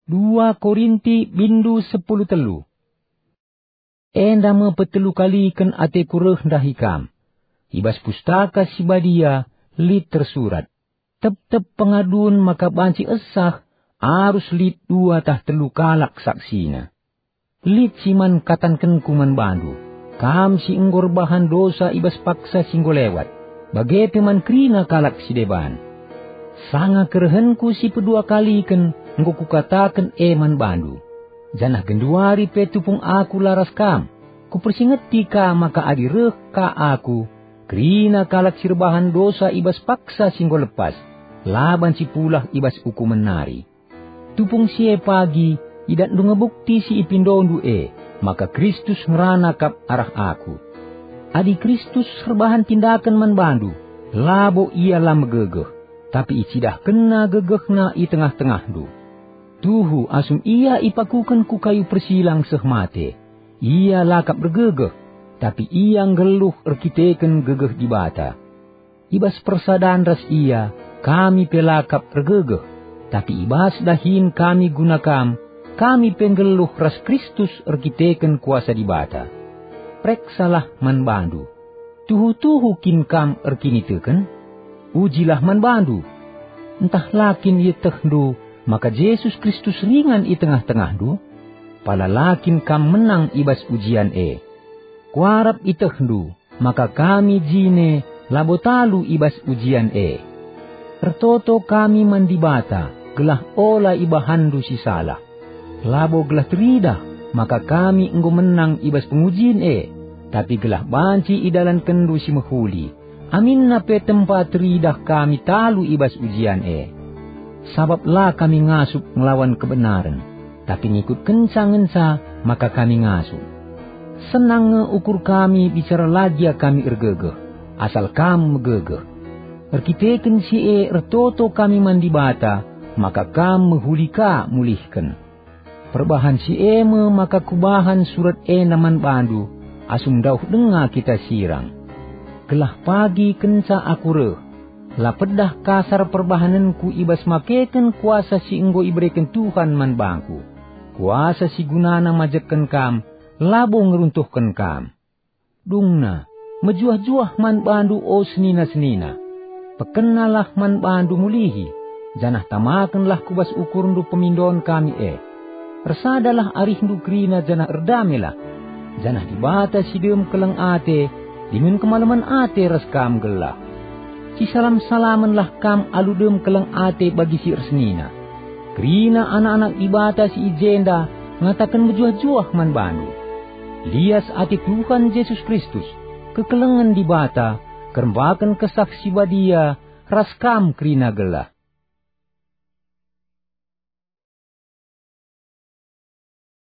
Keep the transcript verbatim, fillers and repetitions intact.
Dua Korinti bindu sepuluh telu. Enda me petelu kaliken ateku reh ndahi kam. I bas Pustaka Si Badia lit tersurat, "Tep-tep pengadun maka banci esah, arus lit dua tah telu kalak saksina." Lit si man katankenku man bandu, kam si enggo erbahan dosa i bas paksa si enggo lewat, bage pe man kerina kalak si deban. Sanga kerehenku si pedua kaliken enggo kukataken e man bandu. Janah genduari pe tupung aku la ras kam, kupersingeti ka maka adi reh ka aku, kerina kalak si erbahan dosa i bas paksa si enggo lepas, la banci pulah i bas ukumen nari. Tupung si e pagi idatndu nge bukti si ipindondu e, maka Kristus ngerana kap arah aku. Adi Kristus erbahan tindaken man bandu, labo Ia la megegeh, tapi icidahkenNa gegehNa i tengah-tengahndu. Tuhu asum Ia ipakuken ku kayu persilang seh mate, Ia la kap ergegeh, tapi Ia nggeluh erkiteken gegeh Dibata. I bas persadan ras Ia, kami pe la kap ergegeh, tapi i bas dahin kami guna kam, kami pe nggeluh ras Kristus erkiteken kuasa Dibata. Pereksalah man bandu. Tuhu-tuhu kin kam erkiniteken? Ujilah man bandu. Ntah la kin ietehndu maka Jesus Kristus ringan i tengah-tengahndu? Pala la kin kam menang i bas ujian e? Kuarap ietehndu maka kami jine labo talu i bas ujian e. Ertoto kami man Dibata gelah ola ibahanndu si salah. Labo gelah teridah maka kami enggo menang i bas pengujin e, tapi gelah banci idalankenndu si mehuli, aminna pe tempa teridah kami talu i bas ujian e. Sabap la kami ngasup ngelawan kebenaren, tapi ngikutkenca ngenca maka kami ngasup. Senang nge ukur kami bicara la gia kami ergegeh, asal kam megegeh. Erkiteken si e ertoto kami man Dibata, maka kam mehuli ka mulihken. Perbahan si e me maka kubahan surat enda man bandu, asum ndauh denga kita sirang. Gelah pagi kenca aku reh, la pedah kasar perbahanenku i bas makeken kuasa si enggo ibereken Tuhan man bangku. Kuasa si gunana majekken kam, labo ngeruntuhken kam. Dungna, mejuah-juah man bandu, o senina-senina. Pekenalah man bandu mulihi, janah tamakenlah ku bas ukurndu pemindon kami e. Ersadalah arihndu kerina janah erdamelah. Janah Dibata si dem keleng ate, dingen kemalemen ate ras kam gelah. Sisalam-salamenlah kam alu dem keleng ate bagi si ersenina. Kerina anak-anak Dibata si i jenda ngataken mejuah-juah man bandu. Lias ate Tuhan Jesus Kristus, kekelengen Dibata, kerembaken Kesah Si Badia ras kam kerina gelah.